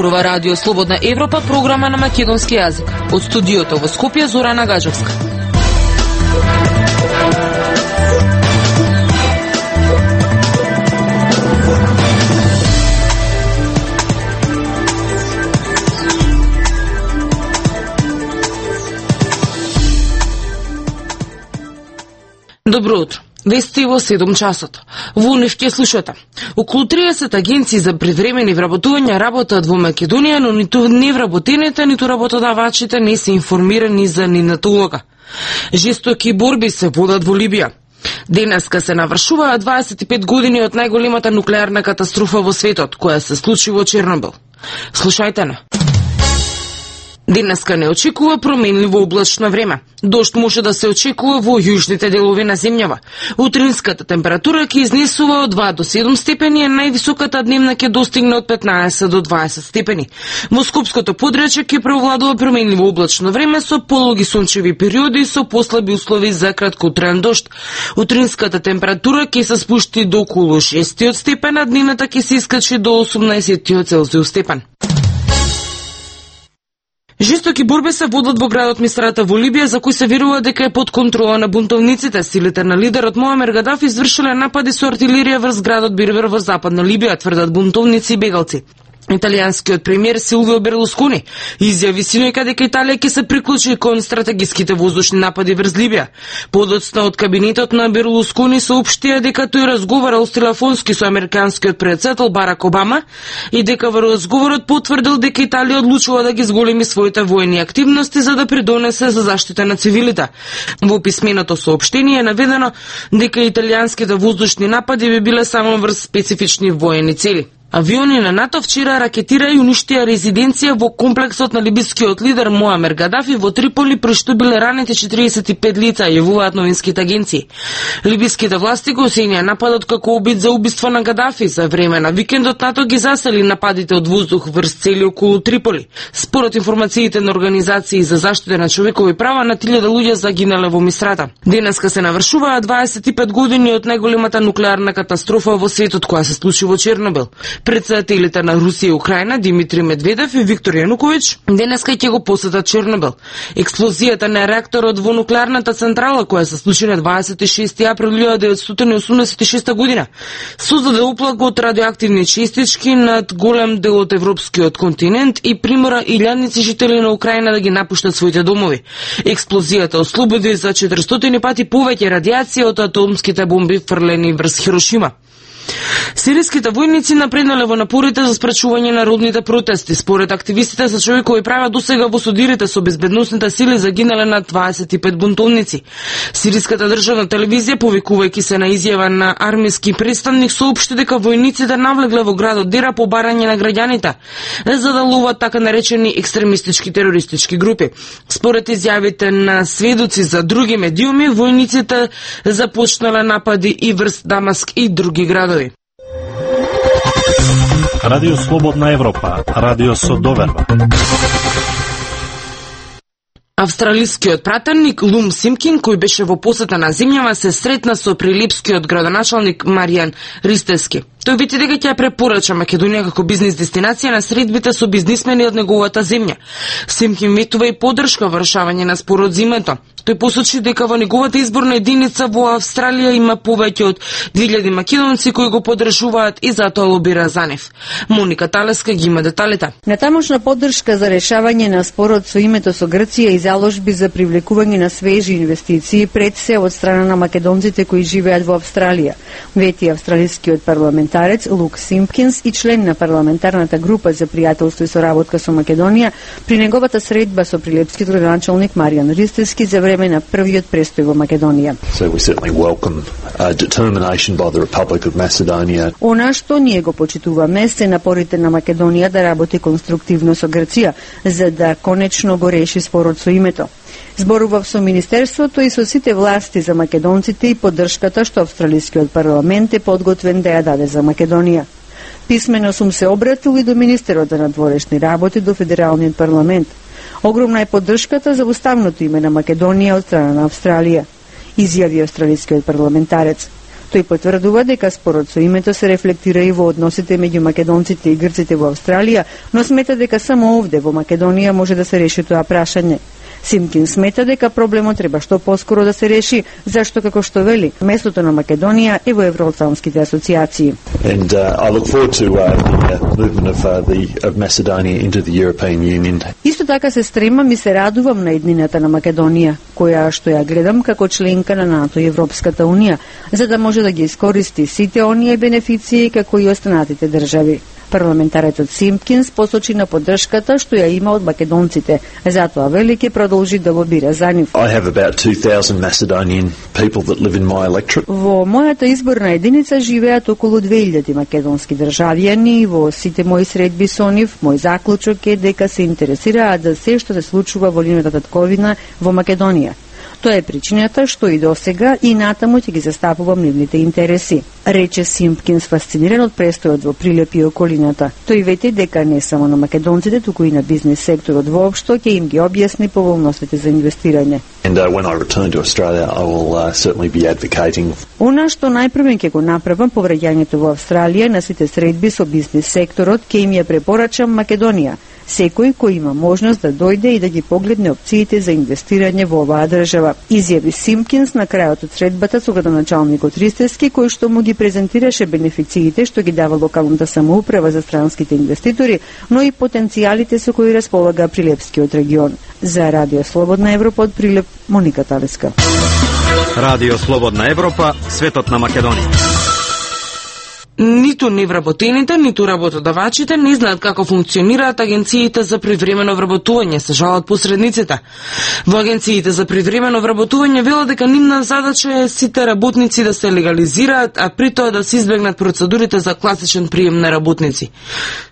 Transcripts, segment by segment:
Зборува Радио Слободна Европа, програма на македонски јазик. Од студиото во Скопје, Зорана Гаџовска. Добро утро. Вести во 7 часот. Во НИФ ќе слушате. Околу 30 агенции за привремени вработувања работат во Македонија, но ниту невработените, ниту работодавачите не се информирани за нивната улога. Жестоки борби се водат во Либија. Денеска се навршуваат 25 години од најголемата нуклеарна катастрофа во светот, која се случи во Чернобил. Слушајте на. Денеска не очекува променливо облачно време. Дожд може да се очекува во јужните делови на земјава. Утринската температура ќе изнесува од 2 до 7 степени, а највисоката дневна ќе достигне од 15 до 20 степени. Во Скопското подречје ќе преовладува променливо облачно време со пологи сончеви периоди и со послаби услови за краткотраен дожд. Утринската температура ќе се спушти до околу 6 степен, а дневната ќе се искачи до 18 Целзиус степен. Жестоки борби се водат во градот Мисрата во Либија, за кој се верува дека е под контрола на бунтовниците. Силите на лидерот Муамер Гадафи извршиле напади со артилерија врз градот Бербер во западна Либија, тврдат бунтовници и бегалци. Италијанскиот премиер Силвио Берлускони изјави синоќа дека Италија ќе се приклучи кон стратегиските воздушни напади врз Либија. Подоцна од кабинетот на Берлускони соопштија дека тој разговарал телефонски со американскиот претседател Барак Обама и дека во разговорот потврдил дека Италија одлучува да ги зголеми своите воени активности за да придонесе за заштита на цивилите. Во писменото соопштение е наведено дека италијанските воздушни напади би биле само врз специфични воени цели. Авиони на НАТО вчера ракетира и уништија резиденција во комплексот на либискиот лидер Муамер Гадафи во Триполи, при што биле ранети 45 лица, јавуваат новинските агенции. Либиските власти го оценија нападот како обид за убиство на Гадафи. За време на викендот НАТО ги засели нападите од воздух врз цели околу Триполи. Според информациите на организации за заштита на човекови права, на 1000 луѓе загинале во Мисрата. Денеска се навршуваат 25 години од најголемата нуклеарна катастрофа во светот, која се случи во Чернобил. Председателите на Русија и Украина Димитри Медведев и Виктор Јануковиќ денеска ќе го посетат Чернобил. Експлозијата на реакторот во нуклеарната централа, која се случи на 26 април 1986 година, создаде оплака од радиоактивни честички над голем дел од европскиот континент и примора илјадници жители на Украина да ги напуштат своите домови. Експлозијата ослободи за 400 пати повеќе радиација од атомските бомби фрлени врз Хирошима. Сириските војници напреднале во напорите за спречување на народните протести. Според активистите за човекови права, досега во судирите со безбедносните сили загинале над 25 бунтовници. Сириската државна телевизија, повикувајќи се на изјава на армиски представник, соопшти дека војниците навлегле во градот Дера по барање на граѓаните, за да ловат така наречени екстремистички терористички групи. Според изјавите на сведоци за други медиуми, војниците започнале напади и врз Дамаск и други градови. Радио Слободна Европа, радио со доверба. Австралискиот пратеник Лум Симпкин, кој беше во посета на земјава, се сретна со прилипскиот градоначалник Маријан Ристевски. Тој вели дека ќе препорача Македонија како бизнис дестинација на средбите со бизнисмени од неговата земја. Симпкин ветува и поддршка во решавање на спорот зимето. Тој посочи дека во неговата изборна единица во Австралија има повеќе од 2000 македонци кои го поддржуваат и затоа лобира за нив. Моника Талеска ги има деталите. Натамошна поддршка за решавање на спорот со името со Грција и заложби за привлекување на свежи инвестиции пред се од страна на македонците кои живеат во Австралија, вети австралискиот парламентарец Лук Симпкинс и член на парламентарната група за пријателство и соработка со Македонија при неговата средба со прилепскиот градоначалник Маријан Ристевски за време на првиот престој во Македонија. So we certainly welcome determination by the Republic of Macedonia. Она што ние го почитуваме се напорите на Македонија да работи конструктивно со Грција, за да конечно го реши спорот со името. Зборував со Министерството и со сите власти за македонците и поддршката што австралискиот парламент е подготвен да ја даде за Македонија. Писмено сум се обратил и до Министерот на надворешни работи, до Федералниот парламент. Огромна е поддршката за уставното име на Македонија од страна на Австралија, изјави австралискиот парламентарец. Тој потврдува дека спорот со името се рефлектира и во односите меѓу македонците и грците во Австралија, но смета дека само овде во Македонија може да се реши тоа прашање. Симпкинс смета дека проблемот треба што поскоро да се реши, зашто како што вели, местото на Македонија е во евроатлантските асоциации. And I look forward to the movement of Macedonia into the European Union. Исто така се стремам и се радувам на еднината на Македонија, која што ја гледам како членка на НАТО и Европската унија, за да може да ги искористи сите оние бенефиции како и останатите држави. Парламентаретот Симпкинс посочи на поддршката што ја има од македонците, затоа вели ќе продолжи да лобира за нив. I have about 2,000 Macedonian people that live in my electorate. Во мојата изборна единица живеат околу 2000 македонски државјани и во сите мои средби со нив, мој заклучок е дека се интересираат за се што се случува во линијата татковина во Македонија. Тоа е причината што и досега и натаму ќе ги застапувам нивните интереси, рече Симпкинс, фасциниран од престојот во Прилеп и околината. Тој вети дека не само на македонците, туку и на бизнес секторот воопшто ќе им ги објасни поволностите за инвестирање. And when I return to Australia, I will certainly be advocating. Она што најпрвен ќе го направам по враќањето во Австралија на сите средби со бизнес секторот, ќе им ја препорачам Македонија. Секој кој има можност да дојде и да ги погледне опциите за инвестирање во оваа држава, изјави Симпкинс на крајот од средбата со градоначалникот Ристевски, кој што му ги презентираше бенефициите што ги дава локалната самоуправа за странските инвеститори, но и потенцијалите со кои располага Прилепскиот регион. За Радио Слободна Европа од Прилеп, Моника Талеска. Радио Слободна Европа, светот на Македонија. Ниту невработените, ниту работодавачите не знаат како функционираат агенциите за привремено вработување, се жалат посредниците. Во агенциите за привремено вработување велат дека нивна задача е сите работници да се легализираат, а при тоа да се избегнат процедурите за класичен прием на работници.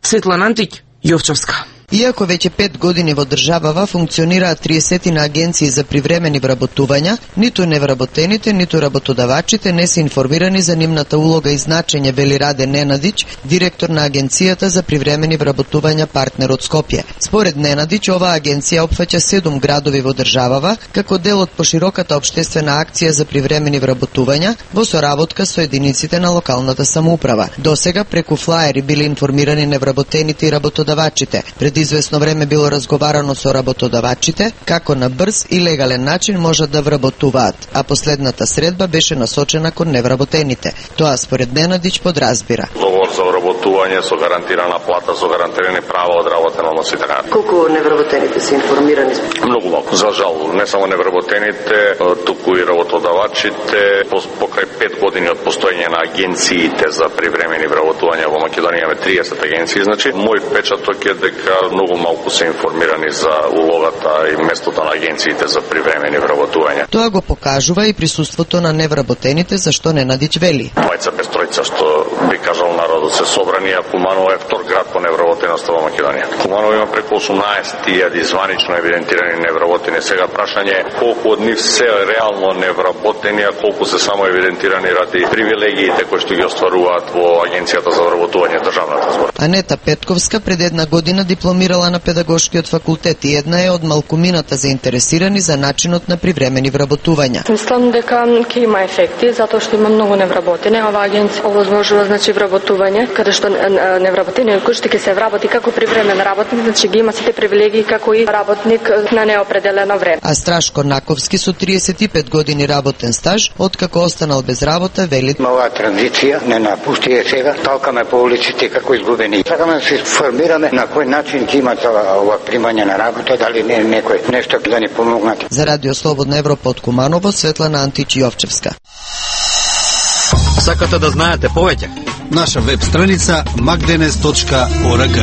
Светлана Антик, Јовчевска. Иако веќе 5 години во државава функционираат 30 на агенции за привремени вработувања, ниту невработените, ниту работодавачите не се информирани за нивната улога и значење, вели Раде Ненадич, директор на агенцијата за привремени вработувања партнер од Скопје. Според Ненадич, оваа агенција опфаќа 7 градови во државава, како дел од пошироката општествена акција за привремени вработувања во соработка со единиците на локалната самоуправа. Досега преку флаери биле информирани невработените и работодавачите. Пред извесно време било разговарано со работодавачите како на брз и легален начин можат да вработуваат, а последната средба беше насочена кон невработените. Тоа според Ненадич подразбира. Договор за вработување со гарантирана плата, со гарантирани права од работен однос и така. Колку невработените се информирани? Многу малку, за жал, не само невработените, туку и работодавачите. Покрај 5 години од постоење на агенциите за привремени вработувања во Македонија имаме 30 агенции, значи мој впечаток е дека многу малку се информирани за улогата и местото на агенциите за привремени вработувања. Тоа го покажува и присуството на невработените, зашто Ненадич вели. Двајца без тројца, што би кажал народот, се собрани, а Куманово е втор град по невработеност во Македонија. Куманово има преку 18.000 званично евидентирани невработени. Сега прашање е колку од нив се реално невработени, а колку се само евидентирани ради привилегиите кои што ги остваруваат во агенцијата за вработување државната збор. Анета Петковска пред една година дипломирала на педагошкиот факултет и една е од малкумината заинтересирани за начинот на привремени вработувања. Мислам дека ќе има ефекти затоа што има многу невработени. Оваа агенција овозможува значи вработување каде што невработени кој што ќе се вработи како привремен работник, значи ги има сите привилегии како и работник на неопределено време. А Страшко Наковски со 35 години работен стаж, откако останал без работа, вели: Оваа транзиција не напусти е сега, талкаме по улиците како изгубени. Сакаме да се формираме на кој начин ќе имат ова примање на работа, дали не некој нешто да ни помогнат. За Радио Слободна Европа од Куманово, Светлана Антич, Јовчевска. Сакате да знаете повеќе? Наша веб страница magdenes.org.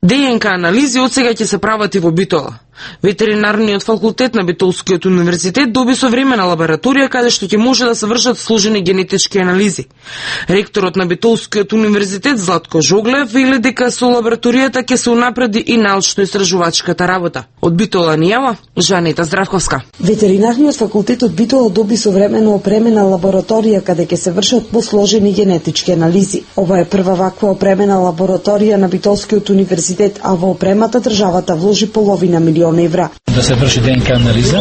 ДНК анализи од сега ќе се прават и во Битола. Ветеринарниот факултет на Битолскиот универзитет доби современа лабораторија каде што ќе може да се вршат сложени генетички анализи. Ректорот на Битолскиот универзитет Златко Жоглев вели дека со лабораторијата ќе се унапреди и научно-истражувачката работа. Од Битола ни јава Жанета Здравковска. Ветеринарниот факултет од Битола доби современо опремена лабораторија каде ќе се вршат посложени генетички анализи. Ова е прва ваква опремена лабораторија на Битолскиот универзитет, а во опремата државата вложи половина милион евра. да се врши ДНК анализа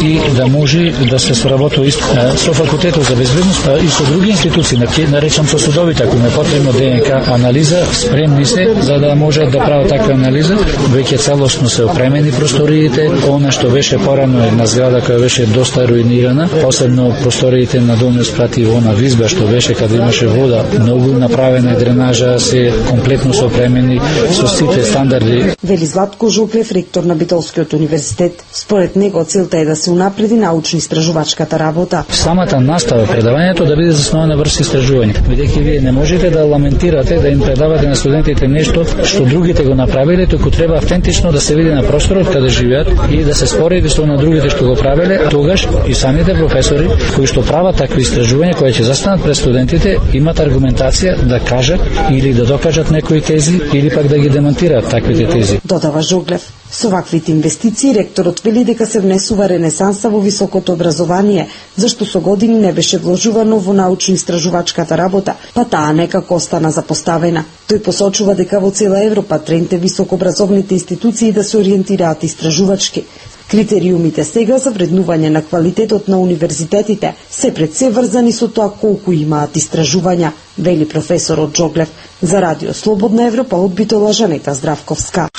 и да може да се соработува со факултетот за безбедност и со други институции, наречам со судовите, ако е потребно ДНК анализа, спремни се за да можат да прават таква анализа. Веќе целосно се опремени просториите, она што беше порано една зграда која беше доста руинирана, посебно просториите на долниот спрат и она визба што беше каде имаше вода, многу направена дренажа, се комплетно се опремени со сите стандарди. Вели Златко Жоглев, ректор на Битолскиот универзитет. Според него целта е да се унапреди научно-истражувачката работа. Самата настава, предавањето да биде заснована врз истражување. Бидејќи вие не можете да ламентирате, да им предавате на студентите нешто што другите го направиле, туку треба автентично да се види на просторот каде живеат и да се спореди со на другите што го правеле. Тогаш и самите професори кои што прават такви истражувања, кои ќе застанат пред студентите, имат аргументација да кажат или да докажат некои тези или пак да ги демонтираат таквите тези. Додава Жоглев. Со ваквите инвестиции ректорот вели дека се внесува ренесанса во високото образование, зашто со години не беше вложувано во научно-истражувачката работа, па таа некако остана запоставена. Тој посочува дека во цела Европа тренд е високообразовните институции да се ориентираат истражувачки. Критериумите сега за вреднување на квалитетот на универзитетите се пред се врзани со тоа колку имаат истражувања, вели професорот Жоглев. За Радио Слободна Европа од Битола, Жанета Здравковска.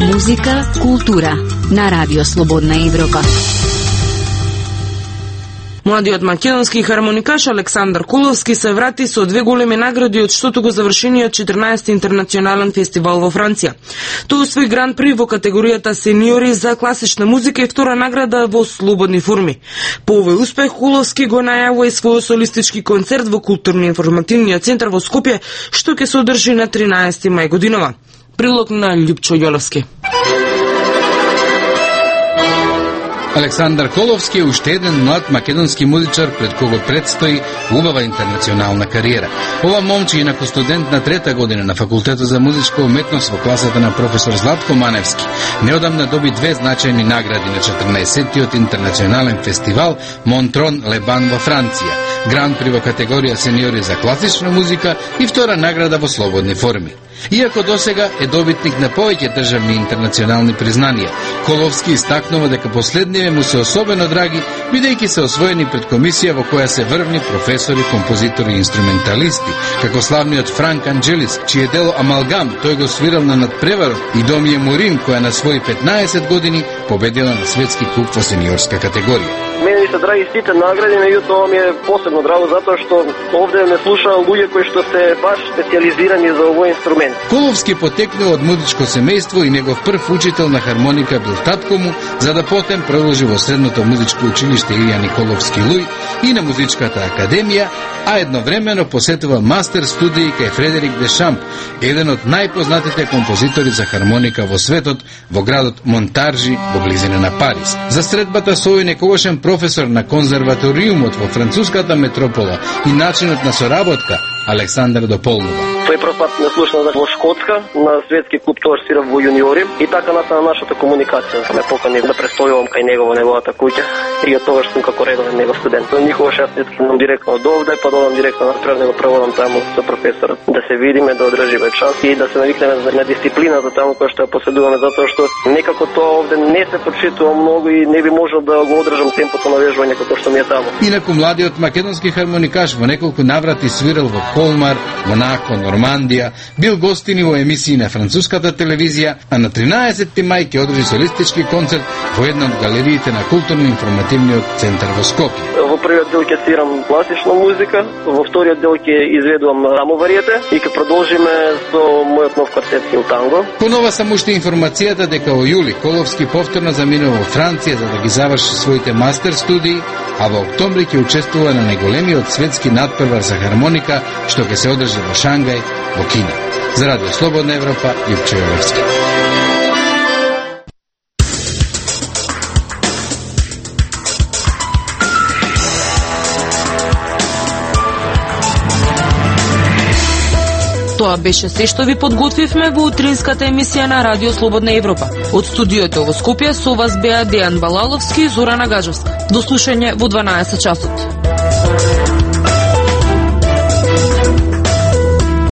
Музика, култура на Радио Слободна Европа. Младиот македонски хармоникаш Александар Коловски се врати со 2 големи награди од штото го завршениот 14 интернационален фестивал во Франција. Тој освои гран при во категоријата сениори за класична музика и втора награда во слободни форми. По овој успех Коловски го најавува и својот солистички концерт во културно-информативниот центар во Скопје, што ќе се одржи на 13 мај годинова. Прилог на Љупчо Јолевски. Александар Коловски е уште еден млад македонски музичар пред кого предстои убава интернационална кариера. Ова момче, инаку студент на 3-та година на факултетот за музичка уметност во класата на професор Златко Маневски, неодамна доби 2 значајни награди на 14-тиот интернационален фестивал Монтрон Лебан во Франција, гран при во категорија сениори за класична музика и втора награда во слободни форми. Иако досега е добитник на повеќе државни интернационални признанија, Коловски истакнува дека последниве му се особено драги, бидејќи се освоени пред комисија во која се врвни професори, композитори и инструменталисти, како славниот Франк Анджелис, чие дело Амалгам тој го свирал на надпреварот, и Домије Морин, која на своји 15 години победила на светски куп во сениорска категорија. Мене ми се драги сите награди, меѓутоа ми е посебно драго затоа што овде ме слушаа луѓе кои што се баш специјализирани за овој инструмент. Коловски потекнува од музичко семејство и негов прв учител на хармоника бил татко му, за да потем продолжи во средното музичко училиште Илија Николовски Луј и на музичката академија, а едновремено посетува мастер студии кај Фредерик де Шамп, еден од најпознатите композитори за хармоника во светот, во градот Монтаржи, во близина на Париз. За средбата со овој некогашен професор на конзерваториумот во француската метропола и начинот на соработка, Александар дополнува. Тој прв пат ме слушна во Шкотска, на светски клуб тоа свирав во јуниори и така настана нашата комуникација. Ме покани да престојувам кај него во неговата куќа и од тогаш сум како редовен негов студент. Никогаш јас не тргнам директно од овде, па додам директно на Трев, него проводам таму со професорот. Да се видиме, да одржиме час и да се навикнеме на дисциплината таму која што ја поседуваме, затоа што некако тоа овде не се почитува многу и не би можел да го одржам темпото на вежбање како што ми е таму. Инаку младиот македонски хармоникаш во неколку наврати свирал во Колмар, Монако, Нормандија, бил гостини во емисии на француската телевизија, а на 13 мај ќе одржи солистички концерт во една од галериите на културно-информативниот центар во Скопје. Во првиот дел ќе свирам класична музика, во вториот дел ќе изведувам рамо вариете и ќе продолжиме со мојот нов квартет Хил Танго. Понова само уште информацијата дека во јули Коловски повторно заминува во Франција за да ги заврши своите мастер студии, а во октомври ќе учествува на најголемиот светски надпревар за хармоника што ќе се одржи во Шангај, во Кина. За Радио Слободна Европа, Љупчо Јолевски. Тоа беше се што ви подготвивме во утринската емисија на Радио Слободна Европа. Од студиото во Скопје со вас беа Дејан Балаловски и Зорана Гаджевска. До слушање во 12 часот.